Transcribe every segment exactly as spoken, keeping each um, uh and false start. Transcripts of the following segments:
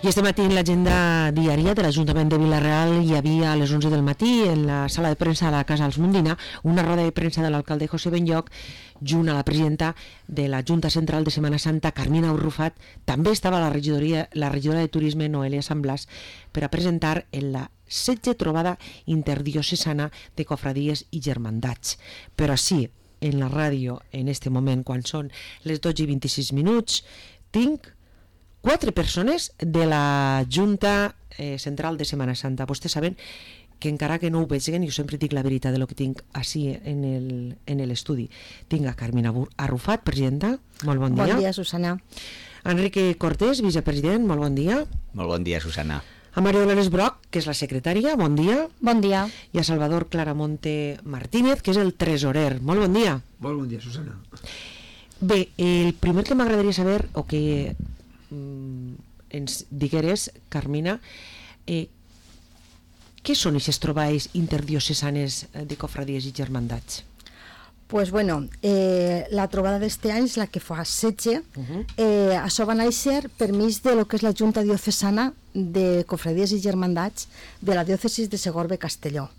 I este matí en l'agenda diària de l'Ajuntament de Vila-real hi havia a les onze del matí en la sala de premsa de la Casa dels Mundina una roda de premsa de l'alcalde José Benlloch junt a la presidenta de la Junta Central de Setmana Santa, Carmina Arrufat. També estava la regidoria, la regidora de Turisme, Noelia San Blas, per a presentar en la setze trobada interdiocesana de cofradies i germandats. Però sí, en la ràdio, en este moment, quan són les dotze i vint-i-sis minuts, tinc quatre persones de la Junta eh, Central de Setmana Santa. Vostès saben que encara que no ho vegin, jo sempre dic la veritat de lo que tinc així en el, en l'estudi. Tinc a Carmina Arrufat, presidenta, molt bon dia. Bon dia, Susana. Enrique Cortés, vicepresident, molt bon dia. Molt bon dia, Susana. A Maria Dolores Broc, que és la secretària, bon dia. Bon dia. I a Salvador Claramonte Martínez, que és el tresorer. Molt bon dia. Molt bon dia, Susana. Bé, el primer que m'agradaria saber, o que mm, ens digueres, Carmina, eh, què són aquestes trobades interdiocesanes de cofradies i germandats? Pues bueno, eh, la trobada d'este any és la que fa setze. Uh-huh. eh, això va néixer per mig de lo que és la Junta Diocesana de Cofradies i Germandats de la diòcesis de Segorbe-Castelló,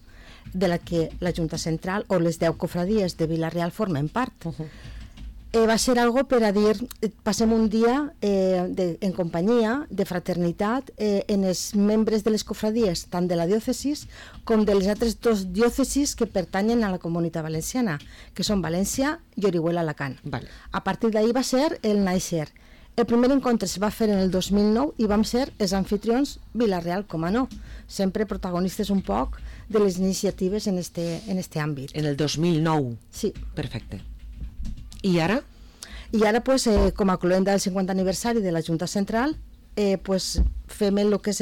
de la que la Junta Central o les deu cofradies de Vila-real formen part. Uh-huh. Eh, va ser algo per a dir, passem un dia eh, de, en companyia, de fraternitat, eh, en els membres de les cofradies, tant de la diòcesis com de les altres dos diòcesis que pertanyen a la Comunitat Valenciana, que són València i Orihuela-Alacant. Vale. A partir d'ahir va ser el néixer. El primer encontre es va fer en el dos mil nou i vam ser els anfitrions Vila-real, com a no, sempre protagonistes un poc de les iniciatives en este, en este àmbit. En el dos mil nou? Sí. Perfecte. I ara? I ara, pues, eh, com a cloenda del cinquanta aniversari de la Junta Central, eh, pues, fem el que és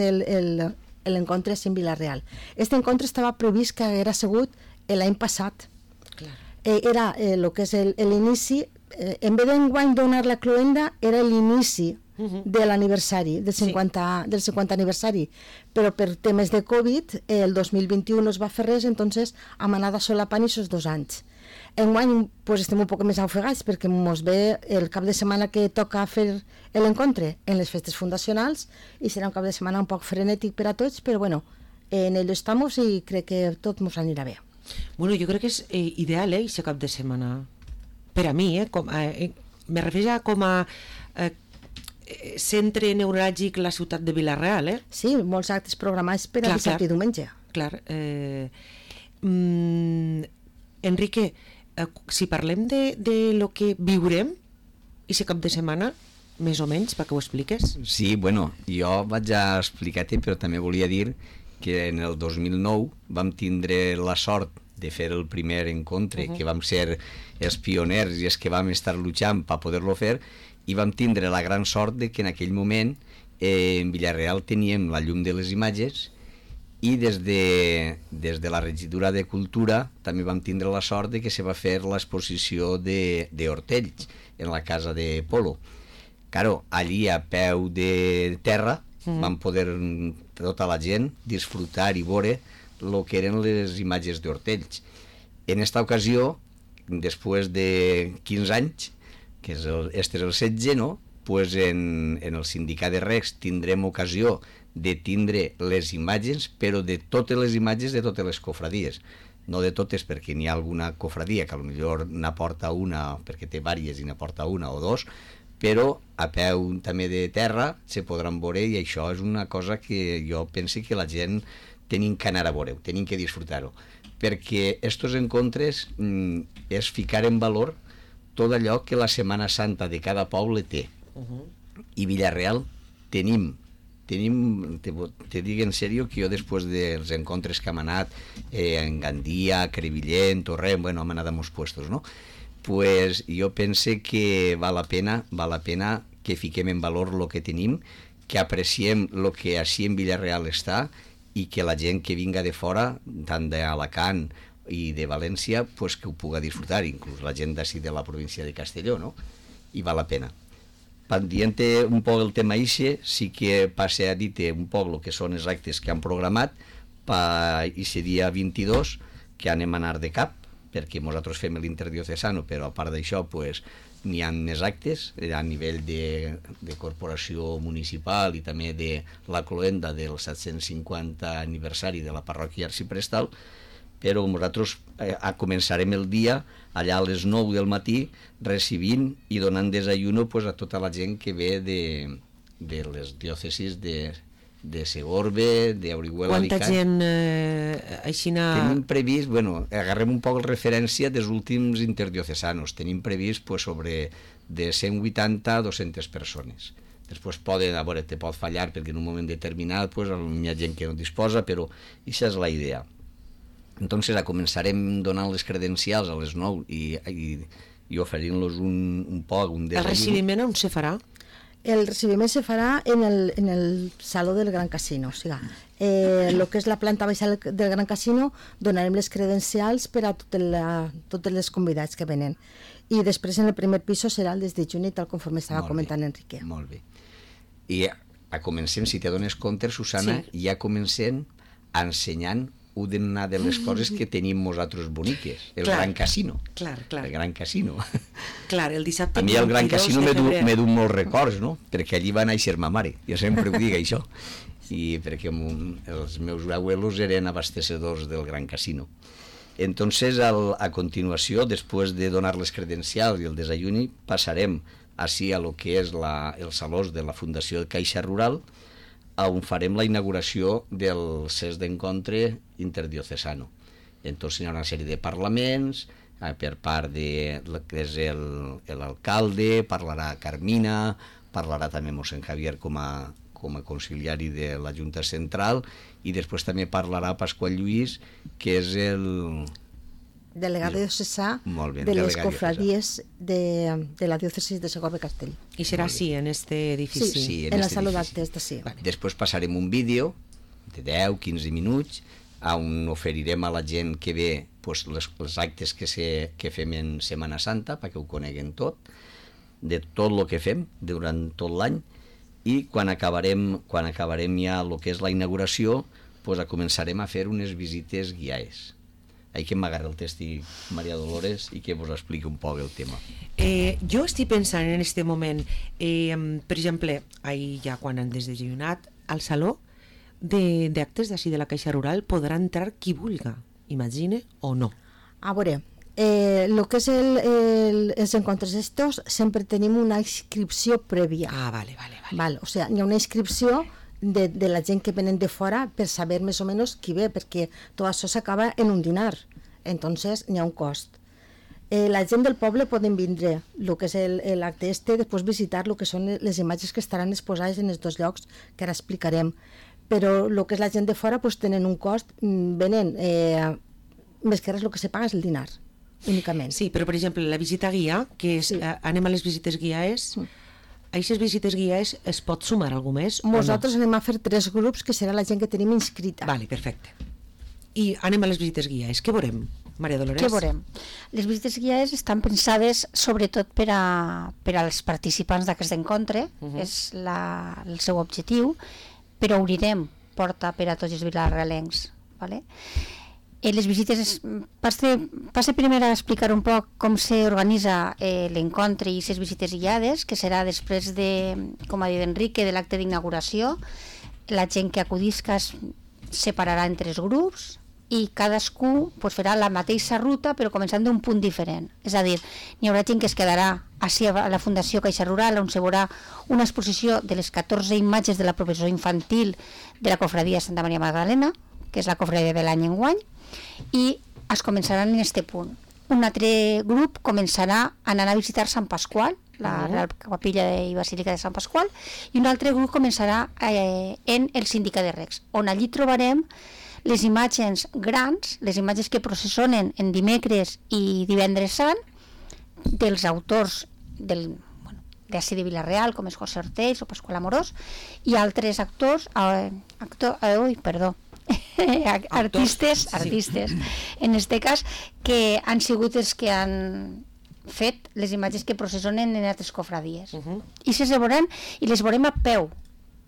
l'encontre en Vila-real. Este encontre estava previst que haguera sigut l'any passat. Clar. Eh, era el eh, que és l'inici, eh, en vez d'enguany donar la cloenda, era l'inici uh-huh. de l'aniversari, del cinquanta, sí. del cinquanta aniversari. Però per temes de Covid, eh, el dos mil vint-i-u no es va fer res, entonces hem anat solapant aquests dos anys. Enguany pues, estem un poc més ofegats perquè ens ve el cap de setmana que toca fer l'encontre en les festes fundacionals i serà un cap de setmana un poc frenètic per a tots, però bueno, en ello estamos i crec que tot ens anirà bé. Bueno, jo crec que és eh, ideal, eh, aquest cap de setmana. Per a mi, eh, com, eh, me refereix a com a eh, centre neuràlgic la ciutat de Vila-real, eh? Sí, molts actes programats per a dissabte i diumenge. Clar. Eh, mm, Enrique, eh, si parlem de, de lo que viurem aquest cap de setmana, més o menys, perquè ho expliques. Sí, bueno, jo vaig a explicar-te, però també volia dir que en el dos mil nou vam tindre la sort de fer el primer encontre, uh-huh. que vam ser els pioners i els que vam estar lluitant per poder-lo fer, i vam tindre la gran sort de que en aquell moment eh, en Vila-real teníem la llum de les imatges i des de, des de la regidura de Cultura també vam tindre la sort de que se va fer l'exposició d'Hortells en la casa de Polo. Claro, allí a peu de terra mm. vam poder tota la gent disfrutar i veure el que eren les imatges d'Hortells. En esta ocasió, després de quinze anys, que és el, este és el setze, no? Pues en, en el sindicat de Recs tindrem ocasió de tindre les imatges, però de totes les imatges de totes les cofradies. No de totes, perquè n'hi ha alguna cofradia que potser n'aporta una, perquè té vàries i n'aporta una o dos, però a peu també de terra se podran veure i això és una cosa que jo penso que la gent tenim que anar a veure-ho, tenim que disfrutar-ho, perquè estos encontres mm, és ficar en valor tot allò que la Setmana Santa de cada poble té. Uh-huh. I Vila-real tenim tenim, te, te dic en sèrio que jo després dels encontres que hem anat eh, en Gandia, Crevillent, Torrent, bueno, hem anat a molts puestos, no? Pues jo pense que val la pena, val la pena que fiquem en valor el que tenim, que apreciem el que així en Vila-real està i que la gent que vinga de fora, tant d'Alacant i de València, pues que ho puga disfrutar, inclús la gent d'ací de la província de Castelló, no? I val la pena. Dient un poc el tema ixe, sí que passe a dir un poc el que són els actes que han programat per aquest dia vint-i-dos, que anem a anar de cap, perquè nosaltres fem l'interdiocesano, però a part d'això pues, n'hi ha més actes a nivell de, de corporació municipal i també de la cloenda del set-cents cinquanta aniversari de la parròquia arciprestal, però nosaltres eh, començarem el dia allà a les nou del matí recibint i donant desayuno pues, a tota la gent que ve de, de les diòcesis de de Segorbe, d'Orihuela, Alicant. Quanta gent eh, aixina... Tenim previst, bueno, agarrem un poc la referència dels últims interdiocesanos, tenim previst pues, sobre de cent vuitanta a dues-centes persones. Després poden, a veure, te pot fallar perquè en un moment determinat pues, hi ha gent que no disposa, però aquesta és la idea. Entonces, començarem donant les credencials a les nou i, i, i oferint-los un, un poc, un desayuno. El recibiment on se farà? El recibiment se farà en el, en el saló del Gran Casino, o sigui, eh, el que és la planta baixa del Gran Casino donarem les credencials per a tot la, tots els convidats que venen. I després en el primer pis serà el des de juny, tal conforme estava molt comentant bé, Enrique. Molt bé. I a, a comencem, si te dones compte, Susana, sí. ja comencem ensenyant una de les coses que tenim nosaltres boniques, el clar, Gran Casino. Clar, clar. El Gran Casino. Clar, el dissabte... A mi el Gran Casino m'he dut molts records, no? Perquè allí va néixer ma mare, jo sempre ho dic això, i perquè els meus abuelos eren abastecedors del Gran Casino. Entonces, al, a continuació, després de donar les credencials i el desayuni, passarem així a lo que és la, el saló de la Fundació de Caixa Rural, on farem la inauguració del CES d'Encontre Interdiocesano. Entonces hi ha una sèrie de parlaments, eh, per part de lo que és l'alcalde, parlarà Carmina, parlarà també mossèn Javier com a, com a conciliari de la Junta Central, i després també parlarà Pasqual Lluís, que és el... delegado diocesà de les cofradies de, de la diòcesis de Segorbe-Castell. I serà així, en este edifici? Sí, sí, en, en la sala d'actes de sí. Vale. Després passarem un vídeo de deu a quinze minuts on oferirem a la gent que ve pues, les, els actes que, se, que fem en Setmana Santa perquè ho coneguen tot, de tot el que fem durant tot l'any, i quan acabarem, quan acabarem ja el que és la inauguració pues, començarem a fer unes visites guiades. Hay que m'agarra el testi María Dolores i que vos expliqui un poc el tema. Eh, jo estic pensant en este moment, eh, per exemple, ahir ja quan han desdesayunat, al saló d'actes d'ací de la Caixa Rural podrà entrar qui vulga, imagine o no. A veure, eh, el que és el, el, els encontres estos sempre tenim una inscripció prèvia. Ah, vale, vale. vale. Val, o sigui, hi ha una inscripció de, de la gent que venen de fora per saber més o menys qui ve, perquè tot això s'acaba en un dinar, entonces n'hi ha un cost. Eh, la gent del poble poden vindre el que és l'acte este, després visitar el que són les imatges que estaran exposades en els dos llocs que ara explicarem, però el que és la gent de fora pues, tenen un cost, venen, eh, més que res el que se paga és el dinar, únicament. Sí, però per exemple la visita guia, que és, sí. eh, anem a les visites guiades, mm. a aquestes visites guiades es pot sumar algú més? Nosaltres no? anem a fer tres grups, que serà la gent que tenim inscrita. Vale, perfecte. I anem a les visites guiades. Què veurem, Maria Dolores? Què veurem? Les visites guiades estan pensades sobretot per, a, per als participants d'aquest encontre, uh -huh. és la, el seu objectiu, però obrirem porta per a tots els vilarealencs. Vale? Eh, les visites, passe, passe primer a explicar un poc com s'organitza eh, l'encontre i les visites guiades, que serà després de, com ha dit Enrique, de l'acte d'inauguració. La gent que acudisca es separarà en tres grups i cadascú pues, farà la mateixa ruta però començant d'un punt diferent. És a dir, n'hi haurà gent que es quedarà així a la Fundació Caixa Rural, on se veurà una exposició de les catorze imatges de la professora infantil de la cofradia Santa Maria Magdalena, que és la cofradia de l'any enguany, i es començaran en este punt. Un altre grup començarà anant a visitar Sant Pasqual, la Real Capilla i Basílica de Sant Pasqual, i un altre grup començarà eh, en el Síndica de Recs, on allí trobarem les imatges grans, les imatges que processionen en dimecres i divendres sant, dels autors del, bueno, d'ací de Vila-real, com és José Ortells o Pasqual Amorós, i altres actors, eh, actor, eh, ui, perdó, artistes, artistes, sí. En este cas, que han sigut els que han fet les imatges que processionen en altres cofradies. Uh -huh. I se veuran, i les veurem a peu,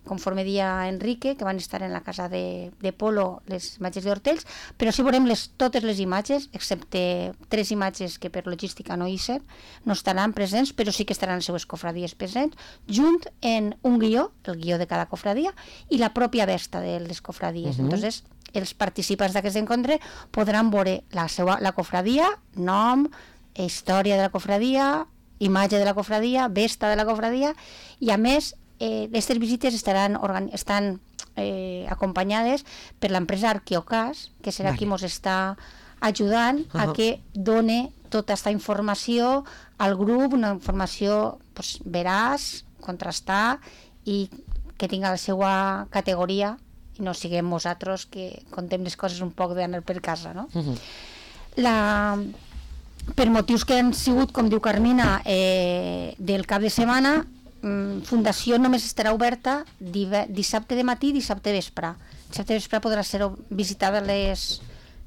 conforme dia Enrique, que van estar en la casa de, de Polo, les imatges d'Hortells, però sí veurem les, totes les imatges, excepte tres imatges que per logística no hi ser, no estaran presents, però sí que estaran les seues cofradies presents, junt en un guió, el guió de cada cofradia, i la pròpia vesta de les cofradies. Uh -huh. Entonces, els participants d'aquest encontre podran veure la, seva, la cofradia, nom, història de la cofradia, imatge de la cofradia, vesta de la cofradia, i a més, aquestes eh, visites estaran estan eh, acompanyades per l'empresa Arqueocas, que serà vale. Qui ens està ajudant uh -huh. a que done tota aquesta informació al grup, una informació pues, veraç, contrastar i que tinga la seva categoria i no siguem nosaltres que contem les coses un poc d'anar per casa, no? Uh -huh. La... Per motius que han sigut, com diu Carmina, eh, del cap de setmana, mm, Fundació només estarà oberta dissabte de matí i dissabte vespre. Dissabte vespre podrà ser visitada les,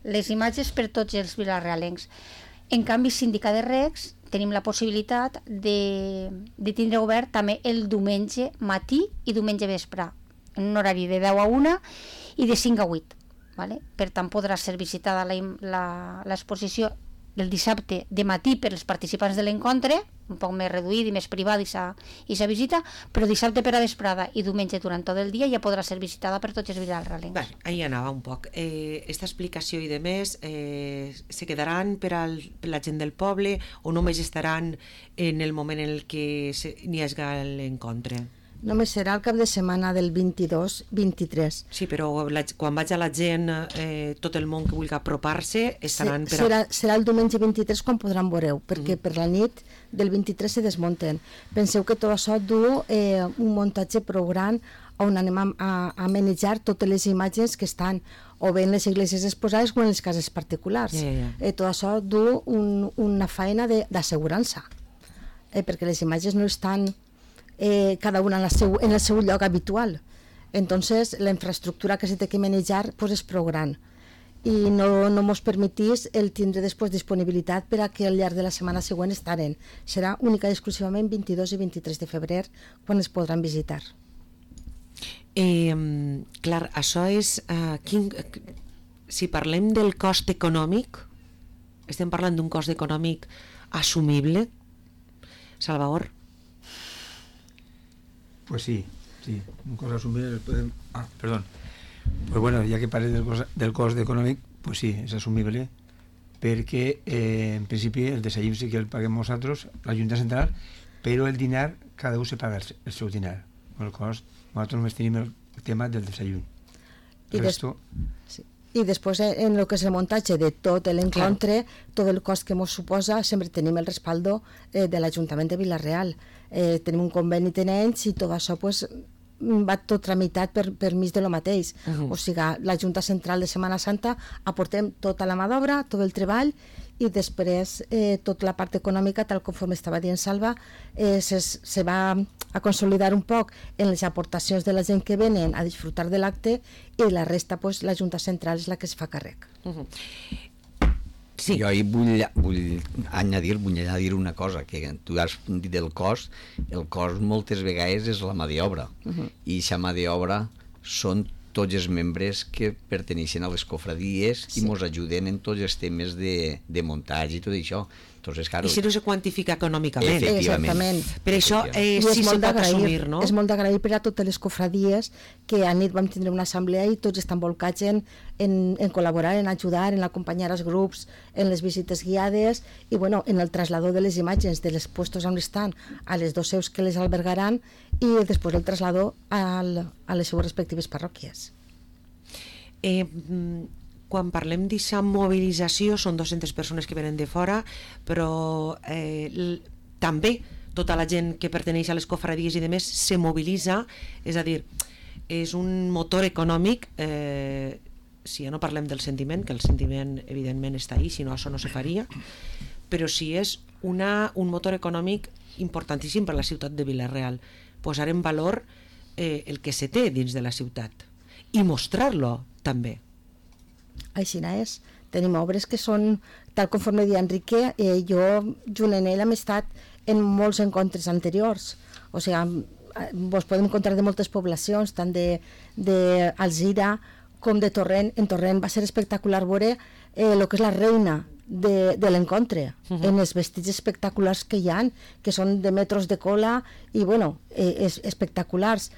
les imatges per tots els vilarealencs. En canvi, Síndica de Recs, tenim la possibilitat de, de tindre obert també el diumenge matí i diumenge vespre, en un horari de deu a una i de cinc a vuit. Vale? Per tant, podrà ser visitada l'exposició el dissabte de matí per als participants de l'encontre, un poc més reduït i més privat i sa visita, però dissabte per a vesprada i diumenge durant tot el dia ja podrà ser visitada per tots els vilarealencs. Bé, ahí anava un poc. Eh, esta explicació i de més eh, se quedaran per, al, per la gent del poble o només estaran en el moment en el que n'hi hagi l'encontre? Només serà el cap de setmana del vint-i-dos vint-i-tres. Sí, però la, quan vaig a la gent, eh, tot el món que vulgui apropar-se, estaran... Sí, per a... serà, serà el diumenge vint-i-tres quan podran veureu, perquè mm. per la nit del vint-i-tres se desmunten. Penseu que tot això du eh, un muntatge prou gran on anem a, a, a manejar totes les imatges que estan o bé en les iglesias exposades o en les cases particulars. Yeah, yeah. Eh, tot això du un, una feina d'assegurança, eh, perquè les imatges no estan... Eh, cada una en, la seu, en el seu lloc habitual. Entonces la infraestructura que se té que manejar pues, és prou gran i no, no mos permetís el tindre després disponibilitat per a que al llarg de la setmana següent estaren. Serà única i exclusivament vint-i-dos i vint-i-tres de febrer quan es podran visitar. Eh, clar, això és uh, quin, si parlem del cost econòmic, estem parlant d'un cost econòmic assumible, Salvador? Pues sí, sí, un cost asumible, podem... ah, perdón, pues bueno, ya que parlem del cost, del cost econòmic, pues sí, és assumible, perquè eh, en principi el desayuno sí que el paguem nosaltres, la Junta Central, però el dinar, cada un se paga el, el seu dinar, el cost, nosaltres només tenim el tema del desayuno. El resto... Sí. I després en el que és el muntatge de tot l'encontre, tot el cost que ens suposa, sempre tenim el respaldo eh, de l'Ajuntament de Vila-real. Eh, tenim un conveni tenents i tot això pues, va tot tramitat per, per mig de lo mateix. Uh -huh. O sigui, la Junta Central de Setmana Santa aportem tota la mà d'obra, tot el treball i després eh, tota la part econòmica, tal conforme estava dient Salva, eh, se, se va a consolidar un poc en les aportacions de la gent que venen a disfrutar de l'acte i la resta, pues, la Junta Central és la que es fa càrrec. Uh -huh. Sí. Jo hi vull, vull añadir, vull añadir una cosa, que tu has dit del cost, el cost moltes vegades és la mà d'obra, uh -huh. i aquesta mà d'obra són tots els membres que perteneixen a les cofradies sí. i ens ajuden en tots els temes de, de muntatge i tot això. Entonces, claro, i si no se quantifica econòmicament. Exactament. Per això eh, sí se pot assumir, no? És molt d'agrair per a totes les cofradies que a nit vam tindre una assemblea i tots estan volcats en, en, en col·laborar, en ajudar, en acompanyar els grups, en les visites guiades i bueno, en el traslado de les imatges de les puestos on estan a les dos seus que les albergaran i després el traslado al, a les seues respectives parròquies. Eh, quan parlem d'aquesta mobilització són dues-centes persones que venen de fora, però eh, també tota la gent que perteneix a les cofradies i demés se mobilitza, és a dir, és un motor econòmic, eh, si ja no parlem del sentiment, que el sentiment evidentment està ahí, si no això no se faria, però sí és una, un motor econòmic importantíssim per a la ciutat de Vila-real, posar en valor eh, el que se té dins de la ciutat i mostrar-lo també. Així és. Tenim obres que són, tal conforme deia Enrique, eh, jo junt amb ell hem estat en molts encontres anteriors. O sigui, vos podem encontrar de moltes poblacions, tant d'Alzira com de Torrent. En Torrent va ser espectacular veure eh, el que és la reina de, de l'encontre, uh -huh. en els vestits espectaculars que hi han, que són de metros de cola i, bueno, eh, és, espectaculars.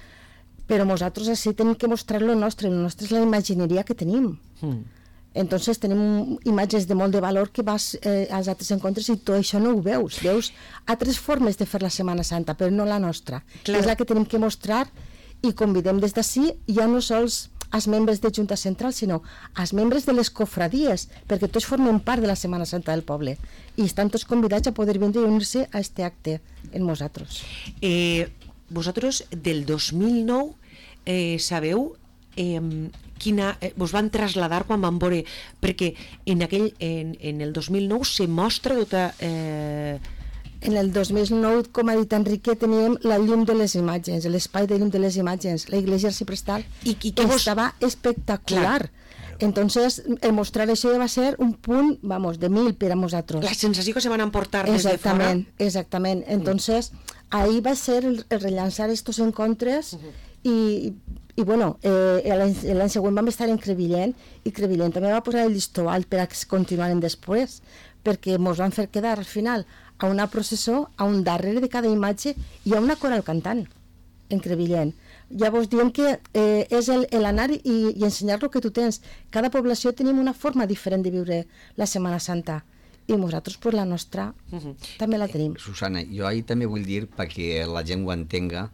Però nosaltres així tenim que mostrar lo nostre, el nostre és la imagineria que tenim. Uh-huh. Entonces tenim imatges de molt de valor que vas eh, als altres encontres i tot això no ho veus. Veus altres formes de fer la Setmana Santa, però no la nostra. Clar. És la que tenim que mostrar i convidem des d'ací ja no sols als membres de Junta Central, sinó als membres de les cofradies, perquè tots formen part de la Setmana Santa del poble i estan tots convidats a poder vindre i unir-se a este acte en nosaltres. Eh, vosaltres del dos mil nou eh, sabeu eh, quina, eh, vos van traslladar quan van veure, perquè en, aquell, en, en el dos mil nou se mostra tota... Eh... En el dos mil nou, com ha dit Enrique, teníem la llum de les imatges, l'espai de llum de les imatges, la iglesia arciprestal, I, i que vos... estava espectacular. Clar. Entonces, el mostrar això va ser un punt, vamos, de mil per a nosaltres. La sensació que se van emportar des de fora. Exactament, exactament. Entonces, ahí va ser el, el rellançar estos encontres uh-huh. i, i bueno, eh, l'any següent vam estar en Crevillent i Crevillent també va posar el llistó alt per a que continuaren després, perquè ens van fer quedar al final a una processó, a un darrere de cada imatge i a una coral cantant en Crevillent. Llavors diem que eh, és el, el anar i, i ensenyar el que tu tens. Cada població tenim una forma diferent de viure la Setmana Santa i nosaltres pues, la nostra uh -huh. també la tenim. Susana, jo ahir també vull dir perquè la gent ho entenga,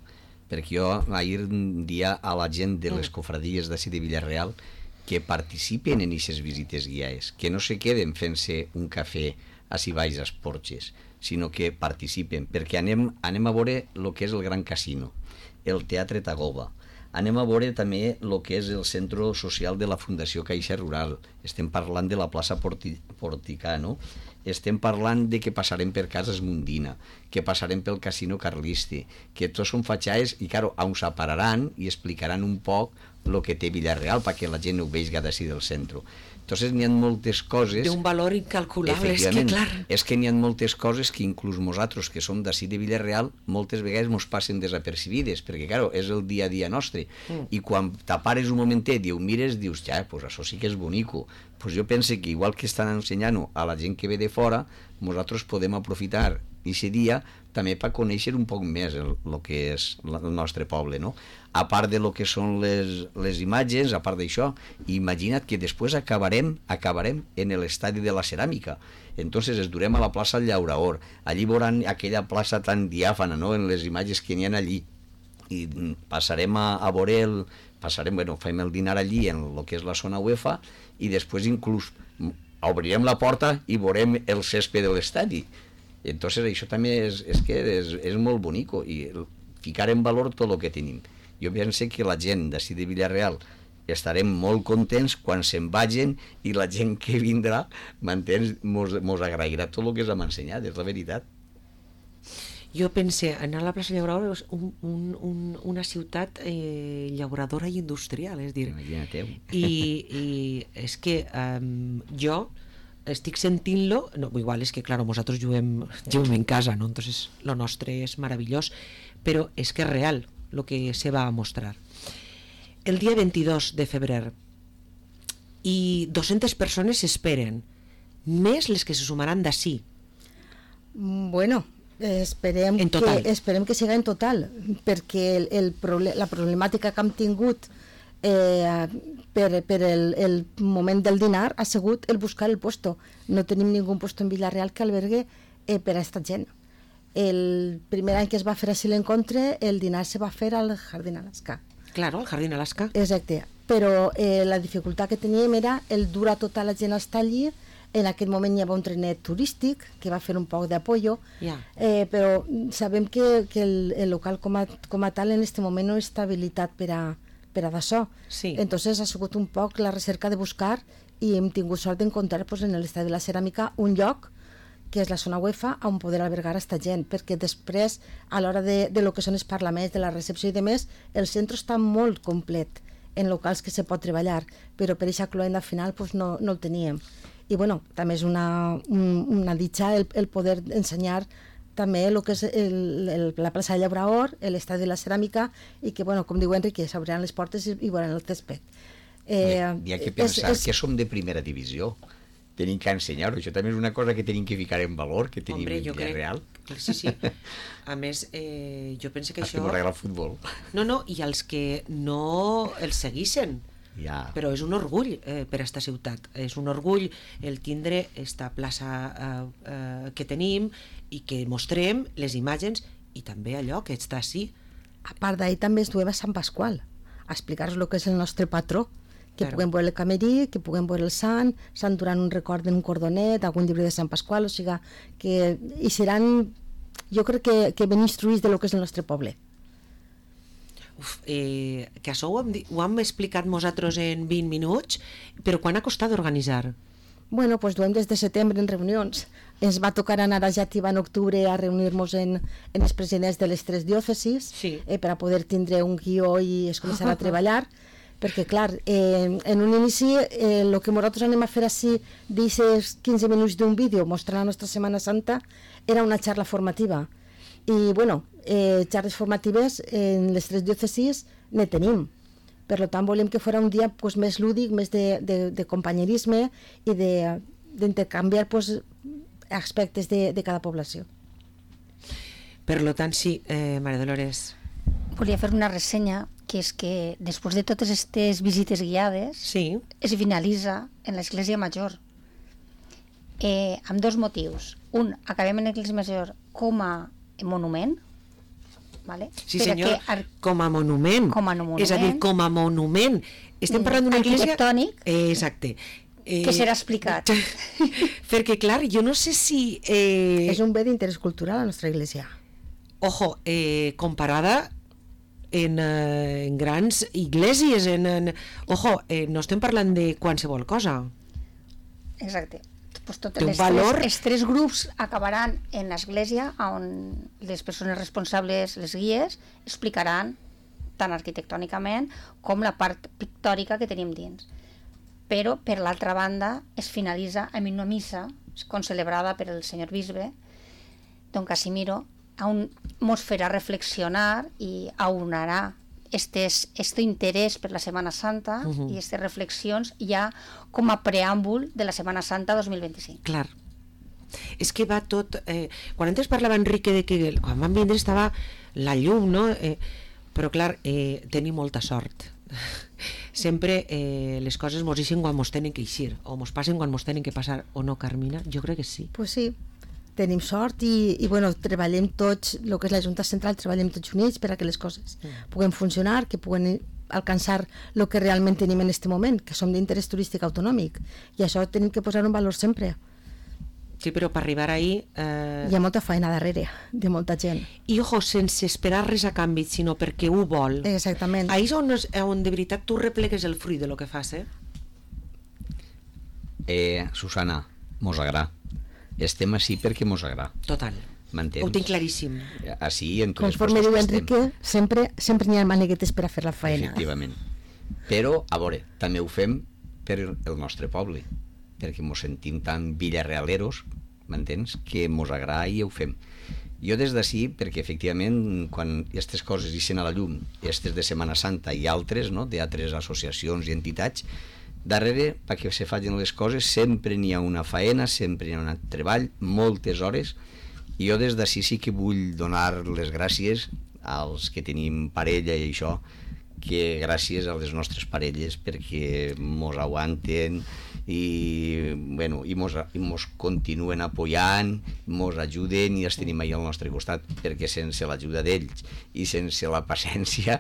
perquè jo ahir dia a la gent de les cofradies d'ací de Villarreal que participen en aquestes visites guiades, que no se queden fent-se un cafè així baix als porxes, sinó que participen, perquè anem, anem a veure el que és el Gran Casino, el Teatre Tagoba, anem a veure també el que és el centre social de la Fundació Caixa Rural, estem parlant de la plaça Porti, Porticano, estem parlant de que passarem per Cases Mundina, que passarem pel Casino Carliste, que tots són fatxaes i, claro, on s'apararan i explicaran un poc el que té Villarreal perquè la gent ho vegi d'ací del centre. Entonces n'hi ha moltes coses... D'un valor incalculable, és que clar... És que n'hi ha moltes coses que inclús nosaltres, que som d'ací de Villarreal, moltes vegades mos passen desapercibides, perquè, clar, és el dia a dia nostre. Mm. I quan t'apares un momentet i ho mires, dius, ja, pues això sí que és bonico. Pues jo penso que igual que estan ensenyant a la gent que ve de fora, nosaltres podem aprofitar aquest dia també per conèixer un poc més el, el que és el nostre poble, no? A part de lo que són les, les imatges, a part d'això, imagina't que després acabarem acabarem en l'estadi de la ceràmica. Entonces es durem a la plaça Llauraor, allí veuran aquella plaça tan diàfana, no?, en les imatges que n'hi ha allí, i passarem a, a veure el, passarem, bueno, fem el dinar allí en el que és la zona UEFA i després inclús obrirem la porta i veurem el césped de l'estadi. Entonces això també és, és que és, és molt bonico i ficar en valor tot el que tenim. Jo penso que la gent d'ací de Villarreal estarem molt contents quan se'n vagin i la gent que vindrà, m'entens, mos, mos agrairà tot el que s'ha ensenyat, és la veritat. Jo pense, anar a la plaça Llauradora és un, un, un, una ciutat eh, llauradora i industrial, és dir, i, i és que um, jo estic sentint-lo, no, igual és que, clar, nosaltres juguem, juguem en casa, no? Entonces lo nostre és meravellós, però és que és real el que se va a mostrar. El dia vint-i-dos de febrer i dues-centes persones s'esperen, més les que se sumaran d'ací. Bueno, esperem que, esperem que siga en total, perquè el, el proble la problemàtica que hem tingut eh, per, per el, el moment del dinar ha sigut el buscar el puesto. No tenim ningú puesto en Villarreal que albergue eh, per a aquesta gent. El primer any que es va fer així l'encontre, el dinar se va fer al Jardín Alaska. Claro, al Jardín Alaska. Exacte, però eh, la dificultat que teníem era el dur a tota la gent a estar allí. En aquell moment hi havia un trenet turístic que va fer un poc d'apoyo, yeah. eh, però sabem que, que el, el local com a, com a tal en aquest moment no està habilitat per a, per a d'això. Sí. Entonces ha sigut un poc la recerca de buscar i hem tingut sort d'encontrar pues, en l'estadi de la ceràmica un lloc que és la zona UEFA on poder albergar aquesta gent, perquè després a l'hora de, de lo que són els parlaments, de la recepció i demés, el centre està molt complet en locals que se pot treballar, però per aquesta cloenda final pues, no, no el teníem. I bueno, també és una, un, una ditxa el, el poder ensenyar també el que és el, el, la plaça de Llaurador, l'estadi de la ceràmica, i que, bueno, com diu Enrique, s'obriran les portes i, i veuran el césped. Eh, Hi ha que pensar és, és... que som de primera divisió. Tenim que ensenyar-ho. Això també és una cosa que tenim que ficar en valor, que tenim Hombre, en vida real. Sí, sí. A més, eh, jo penso que Has això... que m'agrada el futbol. No, no, i els que no els seguissin. Ja. Però és un orgull eh, per a esta ciutat. És un orgull el tindre esta plaça eh, eh, que tenim i que mostrem les imatges i també allò que està així. A part d'ahir també es duem a Sant Pasqual a explicar-nos el que és el nostre patró, que Claro. puguem veure el camerí, que puguem veure el sant, sant durant un record en un cordonet, algun llibre de Sant Pasqual, o sigui que hi seran, jo crec que, que ben instruïts de lo que és el nostre poble. Uf, eh, que això ho hem, di- ho hem explicat nosaltres en vint minuts, però quan ha costat d'organitzar? Bueno, pues duem des de setembre en reunions. Ens va tocar anar a Xàtiva en octubre a reunir-nos en, en els presidents de les tres diòcesis, Sí. eh, per a poder tindre un guió i es començar a treballar, perquè, clar, eh, en un inici eh, el que nosaltres anem a fer així d'aquests quinze minuts d'un vídeo mostrant la nostra Setmana Santa era una xarra formativa. I, bueno, eh, xarres formatives en les tres diòcesis ne tenim. Per tant, volem que fos un dia pues, més lúdic, més de, de, de companyerisme i de- d'intercanviar pues, aspectes de, de cada població. Per lo tant, sí, eh, Maria Dolores. Volia fer una ressenya, que és que després de totes aquestes visites guiades Sí, es finalitza en l'Església Major, eh, amb dos motius. Un, acabem en l'Església Major com a monument, vale? sí Per a senyor, que ar- com a monument. Com a monument. És a dir, com a monument. Estem Mm, parlant d'una església... arquitectònic. Eh, exacte. Eh, Que serà explicat. Perquè, clar, jo no sé si... Eh, És un bé d'interès cultural a la nostra església. Ojo, eh, comparada en, eh, en grans iglesias, en, en, ojo, eh, no estem parlant de qualsevol cosa. Exacte. Pues Té totes un les valor- tres, els tres grups acabaran en l'església on les persones responsables, les guies, explicaran tant arquitectònicament com la part pictòrica que tenim dins. Però, per l'altra banda, es finalitza amb una missa concelebrada per el senyor bisbe, don Casimiro, on mos farà reflexionar i aunarà estes, este interès per la Setmana Santa uh -huh. i aquestes reflexions ja com a preàmbul de la Setmana Santa dos mil vint-i-cinc. Clar. És que va tot... Eh, quan antes parlava Enrique de que quan van vindre estava la llum, no? Eh, però clar, eh, tenim molta sort. Sempre eh, les coses mos eixen quan mos tenen que eixir, o mos passen quan mos tenen que passar, o no, Carmina? Jo crec que sí. Pues sí, tenim sort i, i bueno, treballem tots, el que és la Junta Central, treballem tots units per a que les coses mm. puguen funcionar, que puguen alcançar el que realment tenim en aquest moment, que som d'interès turístic autonòmic, i això tenim que posar en valor sempre. Sí, però per arribar ahí... Eh... Hi ha molta feina darrere, de molta gent. I, ojo, sense esperar res a canvi, sinó perquè ho vol. Exactament. Ahí és on, és- on de veritat tu replegues el fruit de lo que fas, eh? Eh, Susana, mos agrada. Estem així perquè mos agrada. Total. M'entens? Ho tinc claríssim. Així, en tots els Conforme puestos diu que estem. Enrique, sempre, sempre n'hi ha maneguetes per a fer la feina. Efectivament. Però, a veure, també ho fem per el nostre poble, perquè mos sentim tan villarrealeros, m'entens, que mos agrada i ho fem. Jo des d'ací, perquè efectivament quan aquestes coses ixen a la llum, aquestes de Setmana Santa i altres, no?, d'altres associacions i entitats, darrere, perquè se facin les coses, sempre n'hi ha una faena, sempre n'hi ha un treball, moltes hores, i jo des d'ací sí que vull donar les gràcies als que tenim parella i això, que gràcies a les nostres parelles perquè mos aguanten i, bueno, i, mos, i mos continuen apoyant, mos ajuden i els tenim ahí al nostre costat, perquè sense l'ajuda d'ells i sense la paciència,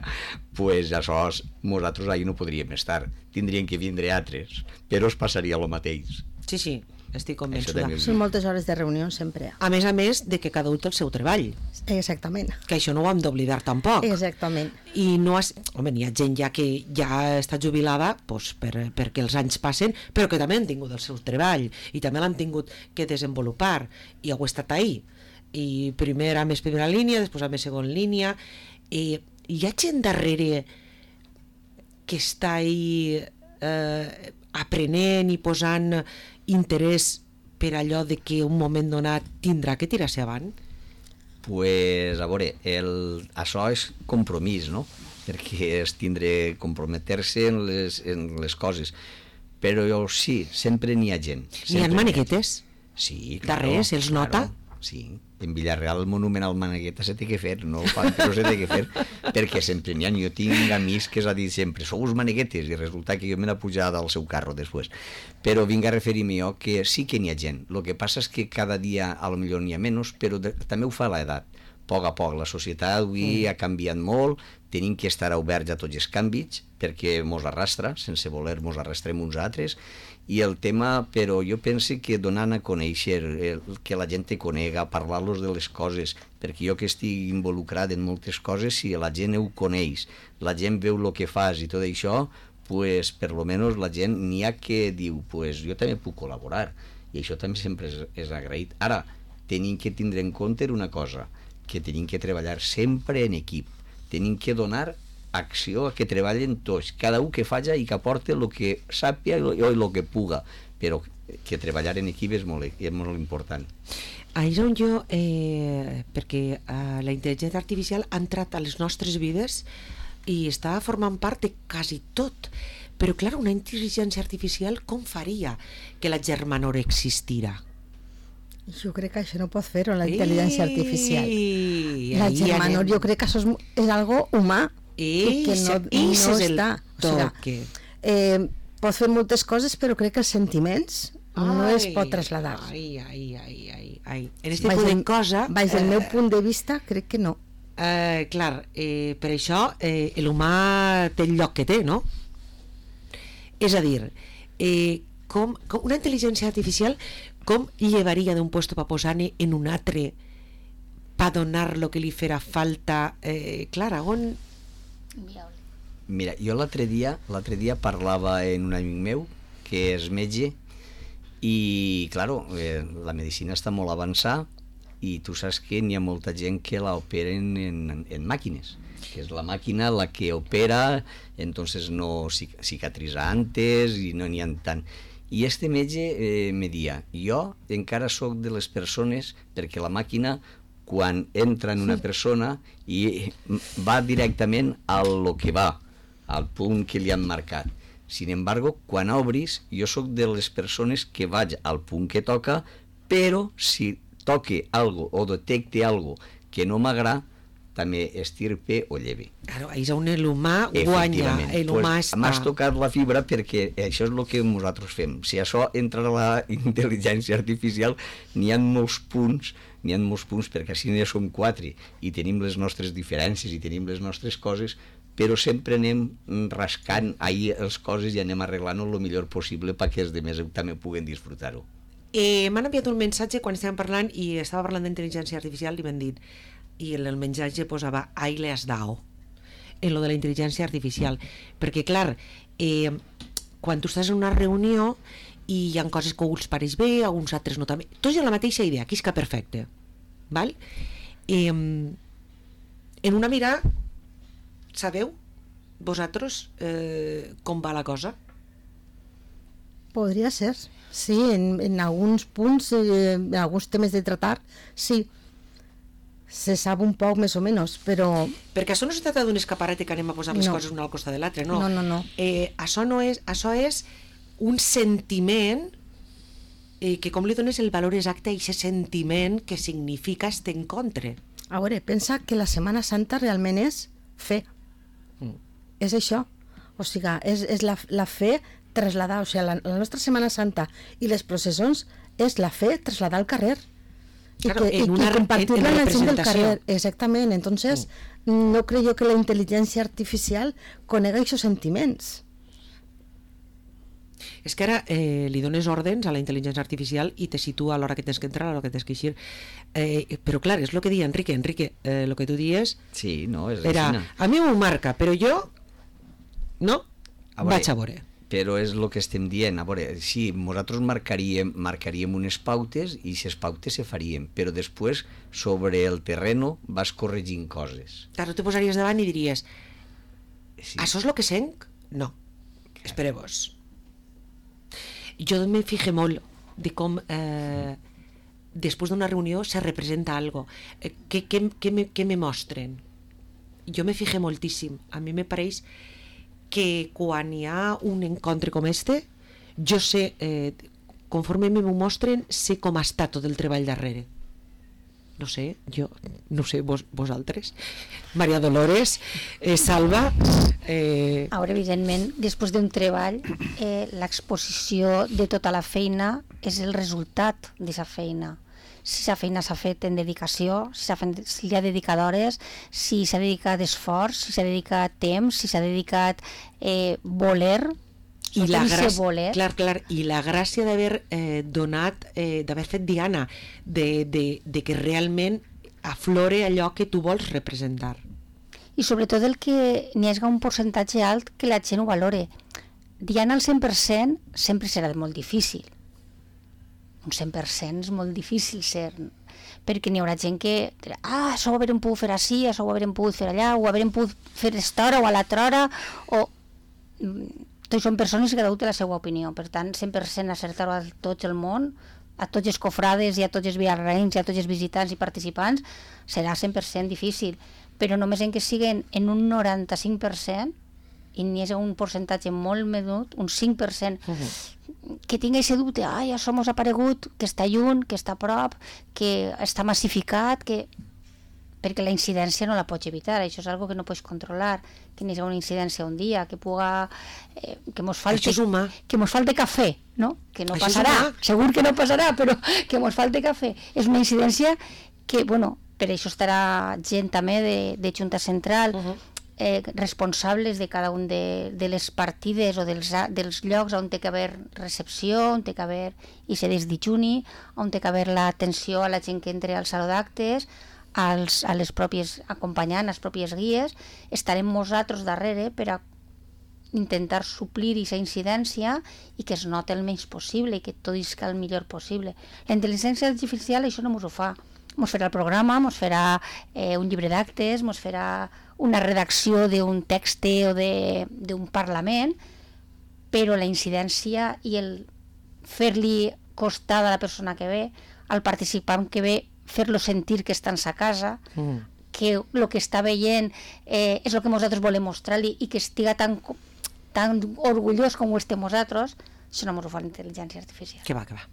pues això nosaltres ahí no podríem estar, tindrien que vindre altres, però es passaria el mateix. Sí, sí, estic Això convençuda. també ho Són moltes hores de reunió sempre. A més a més de que cada un té el seu treball, Exactament. que això no ho hem d'oblidar tampoc. Exactament. I no has... Home, hi ha gent ja que ja està jubilada doncs, per, perquè els anys passen, però que també han tingut el seu treball i també l'han tingut que desenvolupar i heu estat ahí. I primer a més primera línia, després a més segon línia, i hi ha gent darrere que està ahí eh, aprenent i posant interès per allò de que un moment donat tindrà que tirar-se avant? pues, a veure, el, això és compromís, no? Perquè és tindre, comprometer-se en les, en les coses. Però sí, sempre n'hi ha gent. N'hi ha maneguetes? Sí, claro. Darrere, se'ls nota? Claro, sí. En Villarreal el monument al Manegueta se té que fer, no ho fan, però se té que fer, perquè sempre n'hi ha. Jo tinc amics que s'ha dit sempre, sou uns maneguetes, i resulta que jo me n'he pujat al seu carro després. Però vinc a referir-me jo que sí que n'hi ha gent. El que passa és que cada dia a lo millor n'hi ha menys, però de, també ho fa l'edat. A poc a poc, la societat avui mm. ha canviat molt, tenim que estar oberts a tots els canvis, perquè mos arrastra, sense voler mos arrastrem uns altres, i el tema, però jo penso que donant a conèixer, el, que la gent te conega, parlar-los de les coses, perquè jo que estic involucrat en moltes coses, si la gent ho coneix, la gent veu el que fas i tot això, pues, per lo menos la gent n'hi ha que diu, pues, jo també puc col·laborar, i això també sempre és, és agraït. Ara, tenim que tindre en compte una cosa, que tenim que treballar sempre en equip, tenim que donar acció a que treballen tots, cada un que faci i que aporte el que sàpia i el que puga, però que treballar en equip és molt, és molt important. Ahí és on jo, eh, perquè eh, la intel·ligència artificial ha entrat a les nostres vides i està formant part de quasi tot, però clar, una intel·ligència artificial com faria que la germanor existira? Jo crec que això no pot fer-ho, la intel·ligència artificial. I, la germanor, jo crec que això és, és algo humà, I, que no, i no el està. O sigui, eh, pot fer moltes coses, però crec que els sentiments ai, no es pot traslladar. Ai, ai, ai, ai, ai. En este punt de cosa... Baix del eh, meu punt de vista, crec que no. Eh, clar, eh, per això eh, l'humà té el lloc que té, no? És a dir, eh, com, com una intel·ligència artificial com llevaria d'un puesto pa posar-ne en un altre pa donar lo que li farà falta, eh, clar, on... Mira, jo l'altre dia l'altre dia parlava en un amic meu que és metge i, claro, eh, la medicina està molt avançada i tu saps que n'hi ha molta gent que la operen en, en màquines, que és la màquina la que opera, entonces no cicatriza antes i no n'hi ha tant. I este metge eh, me dia, jo encara sóc de les persones, perquè la màquina quan entra en una persona i va directament a lo que va, al punt que li han marcat. Sin embargo, quan obris, jo sóc de les persones que vaig al punt que toca, però si toque algo o detecte algo que no m'agrada, també estirpe o lleve. Claro, ahí és on l'humà guanya, l'humà pues, està... M'has tocat la fibra perquè això és el que nosaltres fem. Si això entra a la intel·ligència artificial, n'hi ha molts punts, n'hi ha molts punts, perquè així ja som quatre i tenim les nostres diferències i tenim les nostres coses, però sempre anem rascant ahir les coses i anem arreglant-ho el millor possible perquè els altres també puguen disfrutar-ho. Eh, M'han enviat un missatge quan estàvem parlant i estava parlant d'intel·ligència artificial i m'han dit, i el, el missatge posava ahí le has dado en lo de la intel·ligència artificial, perquè clar, eh, quan tu estàs en una reunió i hi ha coses que a uns pareix bé, a uns altres no també, tots hi ha la mateixa idea, que és que perfecte, val? Eh, en una mirada sabeu vosaltres eh, com va la cosa? Podria ser, sí, en, en alguns punts, eh, en alguns temes de tratar, sí, se sap un poc més o menys, però... Perquè això no es tracta d'un escaparate que anem a posar les no. coses una al costat de l'altre, no. No, no, no. Eh, això no és, això és un sentiment eh, que com li dones el valor exacte a aquest sentiment que significa este encontre. A veure, pensa que la Setmana Santa realment és fe. Mm. És això. O sigui, és, és la, la fe traslladar, o sigui, la, la nostra Setmana Santa i les processons és la fe traslladar al carrer. Y, claro, que, en y, una, y compartirla en, en en la gent del representació. carrer, exactament. Entonces, mm. no creo que la intel·ligència artificial conega aquests sentiments. És que ara eh, li dones ordens a la intel·ligència artificial i te situa a l'hora que tens que entrar, a l'hora que tens que eixir. Eh, però clar, és el que deia Enrique. Enrique, eh, el que tu dies sí, no, és era, aixina. A mi m'ho marca, però jo no, a veure, vaig a veure. Però és el que estem dient. A veure, sí, nosaltres marcaríem, marcaríem unes pautes i aquestes pautes se farien, però després sobre el terreno vas corregint coses. Clar, tu te posaries davant i diries sí. Això és el que senc? No, espereu-vos. Jo me fije molt de com eh, després d'una reunió se representa algo. Eh, què, què, què, me, què me mostren? Jo me fijé moltíssim. A mi me pareix que quan hi ha un encontre com este, jo sé, eh, conforme m'ho mostren, sé com està tot el treball darrere. No sé, jo, no sé, vos, vosaltres. Maria Dolores, eh, Salva... Eh... Ara, evidentment, després d'un treball, eh, l'exposició de tota la feina és el resultat d'aquesta feina. Si la feina s'ha fet en dedicació, si, fet, si li ha dedicat hores, si s'ha dedicat esforç, si s'ha dedicat temps, si s'ha dedicat eh, voler... I la, gràcia, clar, clar, i la gràcia d'haver eh, donat, eh, d'haver fet diana, de, de, de que realment aflore allò que tu vols representar. I sobretot el que n'hi hagi un percentatge alt que la gent ho valore. Diana al cent per cent sempre serà molt difícil. Un cent per cent és molt difícil ser, perquè n'hi haurà gent que dirà, ah, això ho haurem pogut fer així, això ho haurem pogut fer allà, ho haurem pogut fer a aquesta hora o a l'altra hora, o... Tots són persones que cada un té la seva opinió, per tant, cent per cent acertar-ho a tot el món, a tots els cofrades i a tots els viarraïns i a tots els visitants i participants, serà cent per cent difícil, però només en que siguin en un noranta-cinc per cent i n'hi hagi un percentatge molt menut, un cinc per cent, uh-huh. que tingui aquest dubte, ai, això mos ha aparegut, que està lluny, que està a prop, que està massificat, que... perquè la incidència no la pots evitar, això és algo que no pots controlar, que n'hi ha una incidència un dia, que puga, eh, que mos falte, que mos falte cafè, no? Que no això passarà, segur que no passarà, però que mos falte cafè. És una incidència que, bueno, per això estarà gent també de, de Junta Central, uh-huh. eh, responsables de cada un de, de les partides o dels, dels llocs on té que haver recepció, on té que haver i se des dijuni, on té que haver l'atenció a la gent que entre al saló d'actes, als, a les pròpies acompanyant, les pròpies guies, estarem nosaltres darrere per a intentar suplir aquesta incidència i que es noti el menys possible i que tot isca el millor possible. La intel·ligència artificial això no ens ho fa. Ens farà el programa, ens farà eh, un llibre d'actes, ens farà una redacció d'un text o d'un parlament, però la incidència i el fer-li costar a la persona que ve, al participant que ve, fer-lo sentir que està en sa casa, mm. que el que està veient eh, és el que nosaltres volem mostrar-li i que estiga tan, tan orgullós com ho estem nosaltres, això no ens ho fa la intel·ligència artificial. Que va, que va.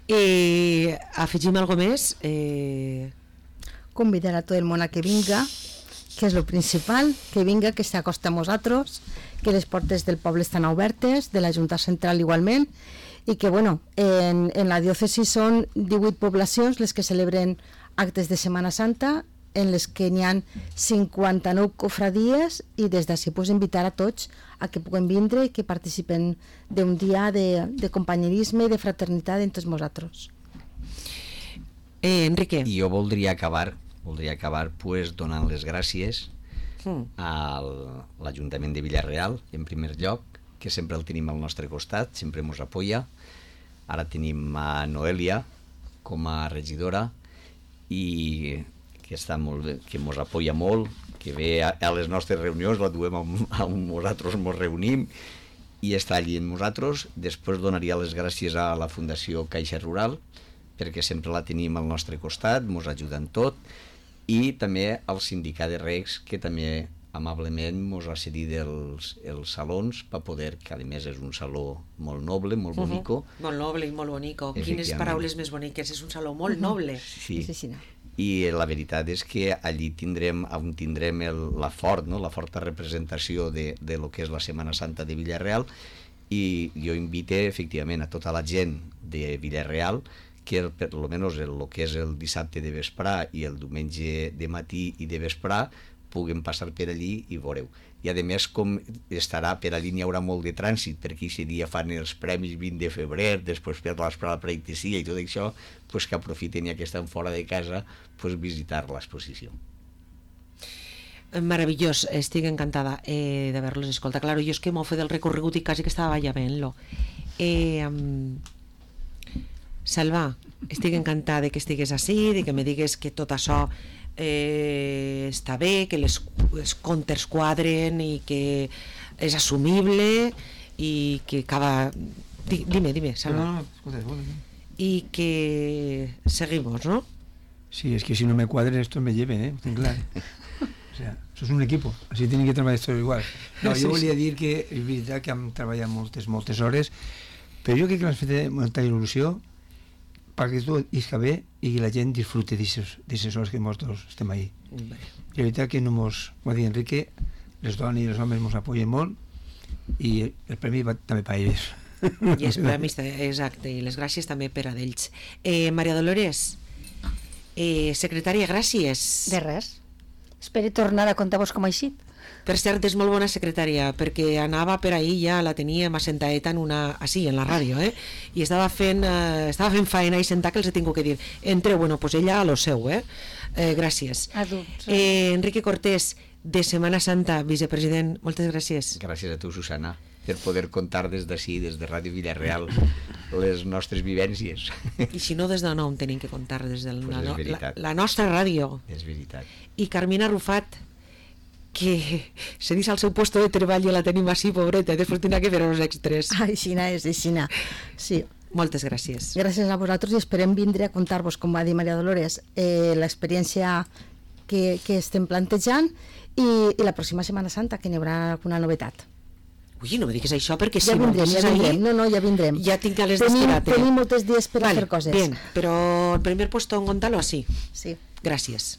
Eh, afegim alguna més? Eh... Convidar a tot el món a que vinga, que és el principal, que vinga, que s'acosta a nosaltres, que les portes del poble estan obertes, de la Junta Central igualment, i que, bueno, en, en la diòcesi són divuit poblacions les que celebren actes de Setmana Santa, en les que n'hi ha cinquanta-nou cofradies, i des d'ací pues, invitar a tots a que puguen vindre i que participen d'un dia de, de companyerisme i de fraternitat entre nosaltres. Eh, Enrique. I jo voldria acabar, voldria acabar pues, donant les gràcies mm. a l'Ajuntament de Vila-real, en primer lloc, que sempre el tenim al nostre costat, sempre ens apoya. Ara tenim a Noelia com a regidora i que està molt bé, que ens apoya molt, que ve a, a les nostres reunions, la duem amb, amb nosaltres, ens reunim i està allí amb nosaltres. Després donaria les gràcies a la Fundació Caixa Rural, perquè sempre la tenim al nostre costat, ens ajuda en tot, i també al Sindicat de Recs, que també amablement ens ha cedit els, els salons per poder, que a més és un saló molt noble, molt bonico. Uh-huh. Molt noble i molt bonico. Quines paraules més boniques, és un saló molt noble. Sí, sí, sí. I la veritat és que allí tindrem, on tindrem el, la fort, no? la forta representació de, de lo que és la Setmana Santa de Vila-real, i jo invite efectivament a tota la gent de Vila-real que per lo menos el, el que és el dissabte de vesprà i el diumenge de matí i de vesprà puguen passar per allí i veureu. I a més, com estarà per allí, n'hi haurà molt de trànsit, perquè aquest dia fan els premis vint de febrer, després per l'esprà la preictesia i tot això, pues que aprofiten ja que estan fora de casa, pues visitar l'exposició. Meravellós, estic encantada eh, d'haver-los escoltat. Claro, jo és que m'ho fet el recorregut i quasi que estava ja veient-lo. Eh, um, Salva, estic encantada que estigues així, de que me digues que tot això eh, està bé, que les, els comptes quadren i que és assumible i que cada... Dime, dime, Salva. No, no, escolta, escolta. y que seguimos, ¿no? Sí, es que si no me cuadren esto me lleven, ¿eh? Ten clar. O sea, això és un equip, així tienen que treballar tots igual. No, jo volia dir que és veritat que hem treballat moltes, moltes hores, però jo crec que l'hem fet molta il·lusió perquè tot isca bé i que la gent disfrute d'aquestes hores que nosaltres estem ahí. I la veritat que no mos, com va dir Enrique, les dones i els homes ens apoyen molt i el premi va també per ells. I els premis, exacte, i les gràcies també per a d'ells. Eh, Maria Dolores, eh, secretària, gràcies. De res. Espero tornar a contar-vos com ha eixit. Per cert, és molt bona secretària, perquè anava per ahir, ja la teníem assentaeta en una... així, en la ràdio, eh? I estava fent, eh, estava fent faena i sentar que els he tingut que dir. Entre, bueno, pues ella a lo seu, eh? eh gràcies. Adults. Eh, Enrique Cortés, de Setmana Santa, vicepresident, moltes gràcies. Gràcies a tu, Susana, per poder contar des d'ací, des de Ràdio Villarreal, les nostres vivències. I si no, des de on tenim que contar? Des de pues la, la, la nostra ràdio. És veritat. I Carmina Rufat, que se dins al seu puesto de treball i la tenim així, pobreta, després tindrà que fer els extras. Aixina és, aixina. Sí. Moltes gràcies. Gràcies a vosaltres i esperem vindre a contar-vos, com va dir Maria Dolores, eh, l'experiència que, que estem plantejant i, i la pròxima Setmana Santa, que n'hi haurà alguna novetat. Ui, no me diguis això, perquè ja si vindrem, no... Ja vindrem, no, no, ja vindrem. Ja tinc a les tenim, d'esperar-te. Tenim molts dies per vale, a fer coses. Bien, però el primer puesto en Gonzalo, sí. Sí. Gràcies.